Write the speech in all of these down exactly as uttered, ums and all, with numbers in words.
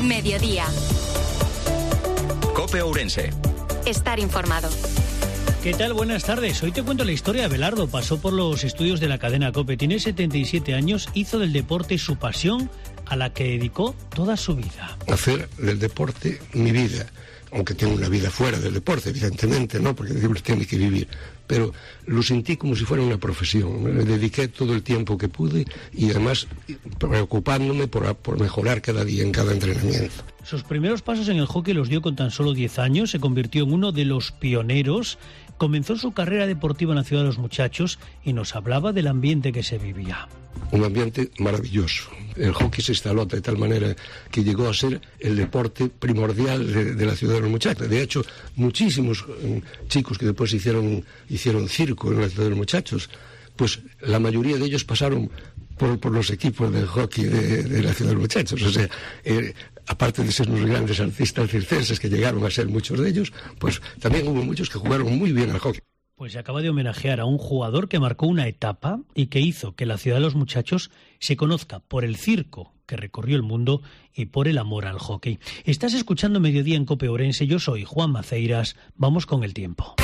Mediodía. COPE Ourense. Estar informado. ¿Qué tal? Buenas tardes. Hoy te cuento la historia de Abelardo. Pasó por los estudios de la cadena COPE. Tiene setenta y siete años, hizo del deporte su pasión a la que dedicó toda su vida. Hacer del deporte mi vida, aunque tengo una vida fuera del deporte, evidentemente, ¿no? Porque el deporte tiene que vivir. Pero lo sentí como si fuera una profesión. Me dediqué todo el tiempo que pude y además preocupándome por, por mejorar cada día en cada entrenamiento. Sus primeros pasos en el hockey los dio con tan solo diez años, se convirtió en uno de los pioneros, comenzó su carrera deportiva en la Ciudad de los Muchachos y nos hablaba del ambiente que se vivía. Un ambiente maravilloso. El hockey se instaló de tal manera que llegó a ser el deporte primordial de, de la Ciudad de los Muchachos. De hecho, muchísimos eh, chicos que después hicieron, hicieron circo en la Ciudad de los Muchachos, pues la mayoría de ellos pasaron por, por los equipos de hockey de, de la Ciudad de los Muchachos. O sea, eh, aparte de ser unos grandes artistas circenses que llegaron a ser muchos de ellos, pues también hubo muchos que jugaron muy bien al hockey. Pues se acaba de homenajear a un jugador que marcó una etapa y que hizo que la Ciudad de los Muchachos se conozca por el circo que recorrió el mundo y por el amor al hockey. Estás escuchando Mediodía en COPE Ourense. Yo soy Juan Maceiras. Vamos con el tiempo.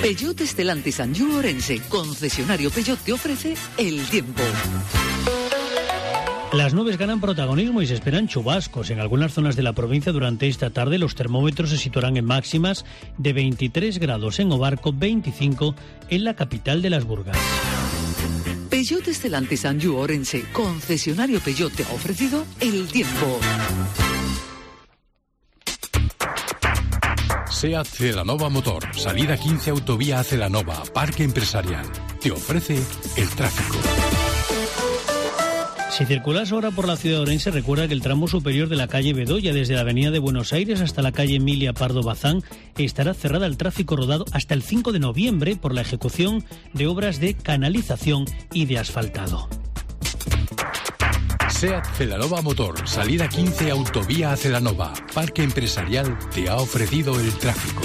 Peugeot Stellantis Anjou Ourense, concesionario Peugeot, te ofrece el tiempo. Las nubes ganan protagonismo y se esperan chubascos. En algunas zonas de la provincia durante esta tarde los termómetros se situarán en máximas de veintitrés grados en Obarco, veinticinco en la capital de las Burgas. Peugeot Stellantis Anjou Ourense, concesionario Peugeot, te ha ofrecido el tiempo. SEAT Celanova Motor, salida quince autovía a Celanova, Parque Empresarial. Te ofrece el tráfico. Si circulas ahora por la ciudad de Ourense, recuerda que el tramo superior de la calle Bedoya, desde la avenida de Buenos Aires hasta la calle Emilia Pardo Bazán, estará cerrada al tráfico rodado hasta el cinco de noviembre por la ejecución de obras de canalización y de asfaltado. SEAT Celanova Motor, salida quince autovía a Celanova, Parque Empresarial, te ha ofrecido el tráfico.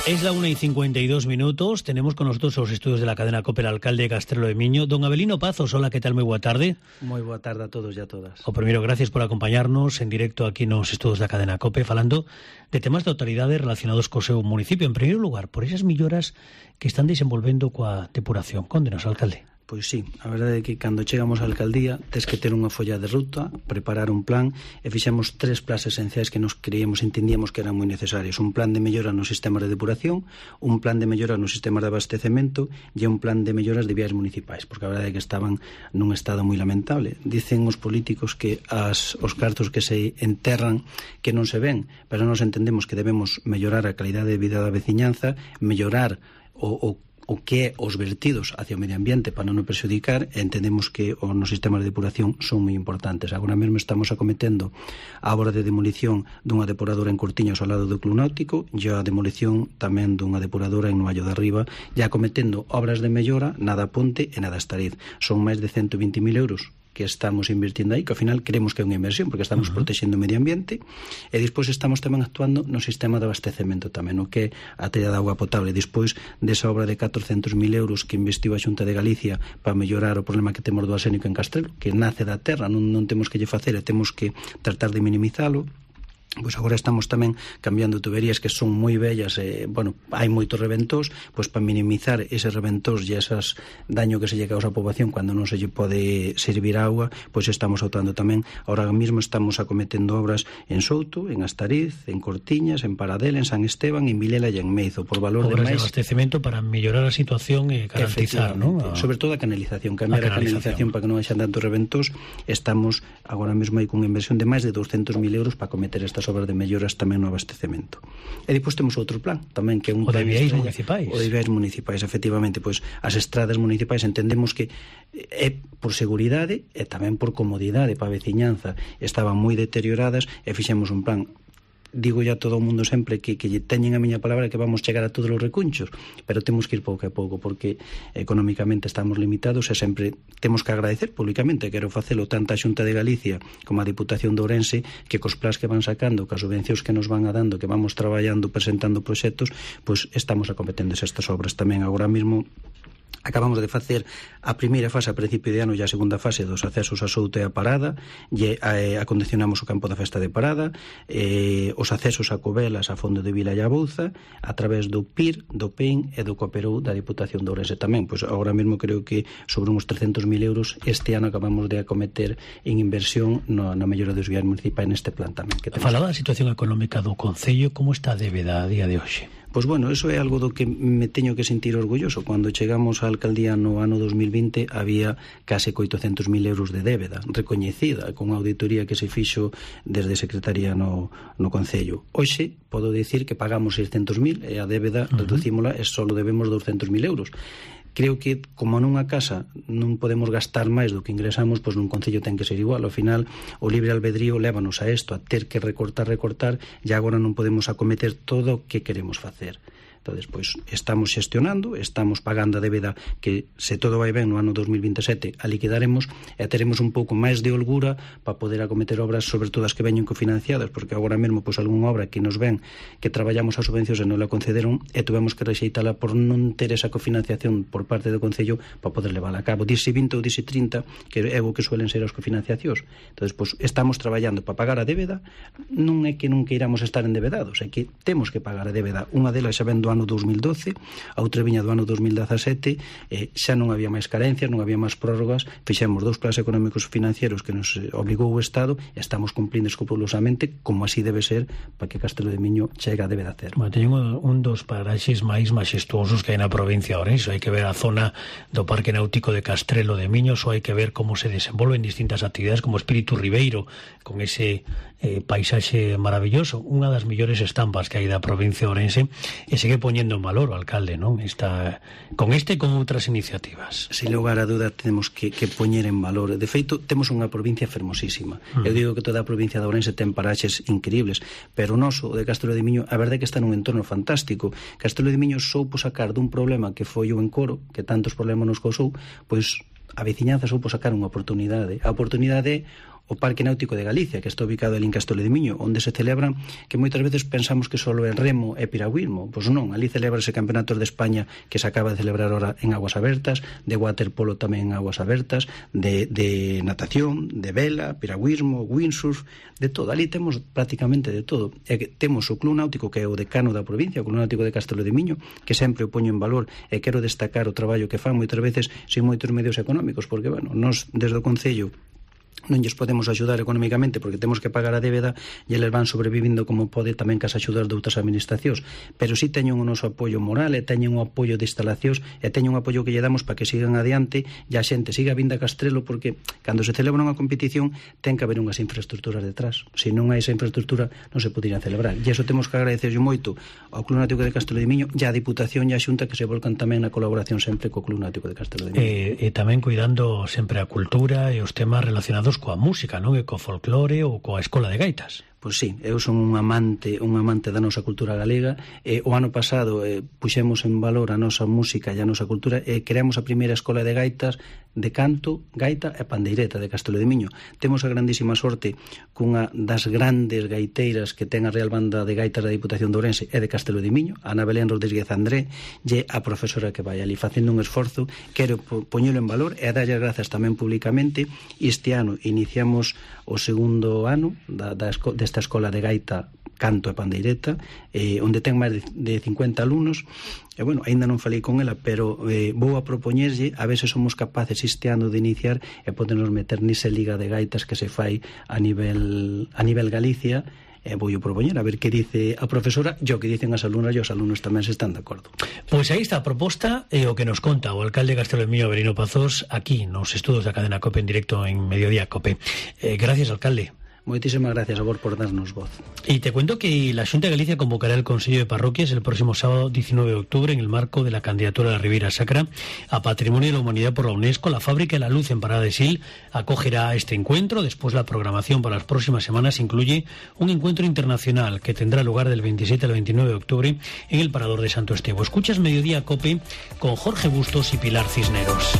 Es la una y cincuenta y dos minutos. Tenemos con nosotros los estudios de la cadena COPE, el alcalde de Castrelo de Miño, don Abelino Pazos. Hola, ¿qué tal? Muy buena tarde. Muy buena tarde a todos y a todas. O primero, gracias por acompañarnos en directo aquí nos estudios da cadena COPE, falando de temas de autoridades relacionados co seu municipio. En primeiro lugar, por esas melloras que están desenvolvendo coa depuración. Cóndenos, alcalde. Pois sí, a verdade é que cando chegamos á alcaldía tes que ter unha folla de ruta, preparar un plan e fixemos tres plans esenciais que nos creíamos, entendíamos que eran moi necesarios. Un plan de mellora nos sistemas de depuración, un plan de mellora nos sistemas de abastecemento e un plan de melloras de vías municipais, porque a verdade é que estaban nun estado moi lamentable. Dicen os políticos que as, os cartos que se enterran que non se ven, pero nós entendemos que debemos mellorar a calidade de vida da veciñanza, mellorar o, o o que é os vertidos hacia o medio ambiente para non o perxudicar. Entendemos que os nos sistemas de depuración son moi importantes. Agora mesmo estamos acometendo a obra de demolición dunha depuradora en Cortiños ao lado do Club Náutico e a demolición tamén dunha depuradora en Noallo de Arriba, e acometendo obras de mellora na da Ponte e na da Estariz. Son máis de ciento vinte mil euros que estamos invirtiendo aí, que ao final creemos que é unha inversión porque estamos uh-huh. protexendo o medio ambiente, e despois estamos tamén actuando no sistema de abastecemento tamén, o que é a tella de auga potable. Despois desa obra de catrocentos mil euros que investiu a Xunta de Galicia para mellorar o problema que temos do arsénico en Castrelo, que nace da terra, non, non temos que lle facer e temos que tratar de minimizalo. Pois agora estamos tamén cambiando tuberías que son moi bellas, e, bueno, hai moitos reventos, pois para minimizar eses reventos e esas daño que se lle causa á poboación cando non se lle pode servir agua, pois estamos actuando tamén. Ahora mesmo estamos acometendo obras en Souto, en Astariz, en Cortiñas, en Paradela, en San Esteban, en Vilela e en Meizo, por valor obras de máis... de abastecemento para mellorar a situación e garantizar, ¿no? A... Sobre todo a canalización, cambiar a canalización, a canalización para que non haxa tantos reventos. Estamos agora mesmo aí cunha inversión de máis de doscientos mil euros para acometer estas obras de melloras tamén no abastecemento. E depois temos outro plan tamén, que é un o de plan viais estrella, municipais. O de viais municipais, efectivamente, pois as estradas municipais entendemos que é por seguridade e tamén por comodidade para a veciñanza. Estaban moi deterioradas e fixemos un plan. Digo ya a todo o mundo sempre que, que teñen a miña palabra que vamos chegar a todos os recunchos, pero temos que ir pouco a pouco porque económicamente estamos limitados e sempre temos que agradecer públicamente, quero facelo tanto a Xunta de Galicia como a Diputación de Ourense, que cos plans que van sacando, cas subvencións que nos van a dando, que vamos traballando, presentando proxectos, pois estamos acometendo estas obras tamén. Agora mesmo Acabamos de facer a primeira fase a principio de ano e a segunda fase dos accesos a Souto e a Parada, e eh, acondicionamos o campo da festa de Parada, eh, os accesos a Covelas, a Fondo de Vila e a Bouza, a través do P I R, do P E N e do Cooperou da Diputación de Ourense tamén. Pois agora mesmo creo que sobre uns trescentos mil euros este ano acabamos de acometer en inversión no, na mellora dos viais municipais neste plan tamén. Que falaba da situación económica do Concello, como está a débeda a día de hoxe? Pois bueno, eso é algo do que me teño que sentir orgulloso. Cando chegamos á alcaldía no ano dos mil vinte había case oitocentos mil euros de débeda recoñecida, con unha auditoría que se fixo desde Secretaría no, no Concello. Hoxe podo dicir que pagamos seiscentos mil e a débeda uh-huh. reducímola e só debemos douscentos mil euros. Creo que, como nunha casa non podemos gastar máis do que ingresamos, pois nun concello ten que ser igual. Ao final, o libre albedrío lévanos a isto, a ter que recortar, recortar, e agora non podemos acometer todo o que queremos facer. Entón, pois, estamos xestionando, estamos pagando a débeda que, se todo vai ben, no ano dos mil vinte e sete a liquidaremos e teremos un pouco máis de holgura para poder acometer obras, sobre todo as que veñen cofinanciadas, porque agora mesmo, pois, algunha obra que nos ven que traballamos as subvencións e non la concederon e tuvemos que rexeitala por non ter esa cofinanciación por parte do Concello para poder levála a cabo. Dise vinte ou dise trinta, que é o que suelen ser as cofinanciacións. Entón, pois, estamos traballando para pagar a débeda. Non é que non queiramos estar endebedados, é que temos que pagar a débeda. Unha delas xa ven do ano dos mil doce, a outra viña do ano dos mil dezasete, eh, xa non había máis carencias, non había máis prórrogas, fixemos dous planes económicos financieros que nos obligou o Estado e estamos cumplindo escrupulosamente, como así debe ser, para que Castelo de Miño chegue a débeda cero. Bueno, teñen un dos paraxes máis maxestuosos que hai na provincia de Ourense. Hai que ver a zona do Parque Náutico de Castrelo de Miño, ou hai que ver como se desenvolven distintas actividades como Espírito Ribeiro, con ese eh, paisaxe maravilloso, unha das millores estampas que hai da provincia de Ourense, e segue poñendo en valor o alcalde, non? Está con este e con outras iniciativas. Sin lugar a duda temos que, que poñer en valor. De feito, temos unha provincia fermosísima. Mm. Eu digo que toda a provincia de Ourense ten paraxes increíbles, pero o noso, o de Castelo de Miño, a verdade é que está nun entorno fantástico. Castelo de Miño soupo sacar dun problema que foi o encoro, que tantos problemas nos causou, pois a veciñanza soupo sacar unha oportunidade. A oportunidade é o Parque Náutico de Galicia, que está ubicado ali en Castelo de Miño, onde se celebran, que moitas veces pensamos que só é remo e piragüismo. Pois non, ali celebrase campeonatos de España que se acaba de celebrar ahora en aguas abertas, de waterpolo tamén en aguas abertas, de, de natación, de vela, piragüismo, windsurf, de todo. Ali temos prácticamente de todo. E que temos o Club Náutico, que é o decano da provincia, o Club Náutico de Castelo de Miño, que sempre o poño en valor e quero destacar o traballo que fan moitas veces sin moitos medios económicos, porque, bueno, nós desde o Concello non lles podemos axudar económicamente porque temos que pagar a débeda e eles van sobrevivindo como pode tamén cas axudar de outras administracións, pero si teñen o noso apoio moral e teñen o apoio de instalacións e teñen o apoio que lle damos para que sigan adiante e a xente siga vindo a Castrelo, porque cando se celebra unha competición ten que haber unhas infraestructuras detrás. Se non hai esa infraestructura non se poderían celebrar, e iso temos que agradecerlle moito ao Club Náutico de Castelo de Miño e á Diputación e á Xunta, que se volcan tamén na colaboración sempre co Club Náutico de Castelo de Miño. E, e tamén cuidando sempre a cultura e os temas relacionados coa música, non? E co folclore ou coa escola de gaitas. Pois sí, eu son un amante un amante da nosa cultura galega. E o ano pasado eh, puxemos en valor a nosa música e a nosa cultura e creamos a primeira escola de gaitas de canto, gaita e pandeireta de Castelo de Miño. Temos a grandísima sorte cunha das grandes gaiteiras que ten a Real Banda de Gaitas da Diputación de Ourense e de Castelo de Miño, Ana Belén Rodríguez André, e a profesora que vai ali facendo un esforzo. Quero poñelo en valor e darlle as grazas tamén públicamente. Este ano iniciamos o segundo ano da, da esco, desta escola de gaita, canto e pandeireta, eh, onde ten máis de, de cincuenta alumnos. E, bueno, aínda non falei con ela, pero eh, vou a propoñerlle a ver se somos capaces este ano de iniciar e podernos meter nese liga de gaitas que se fai a nivel, a nivel Galicia. E vou o propoñer a ver que dice a profesora e o que dicen as alumnas, e os alumnos tamén se están de acordo. Pois aí está a proposta e o que nos conta o alcalde de Castelo de Miño, Avelino Pazos, aquí nos estudos da cadena COPE en directo en Mediodía COPE. Eh, gracias, alcalde. Moitísimas gracias a vos por darnos voz. Y te cuento que la Xunta de Galicia convocará el Consello de Parroquias el próximo sábado diecinueve de octubre en el marco de la candidatura de la Ribeira Sacra a Patrimonio de la Humanidad por la UNESCO. La Fábrica de la Luz en Parada de Sil acogerá este encuentro. Después, la programación para las próximas semanas incluye un encuentro internacional que tendrá lugar del veintisiete al veintinueve de octubre en el Parador de Santo Estevo. Escuchas Mediodía COPE con Jorge Bustos y Pilar Cisneros.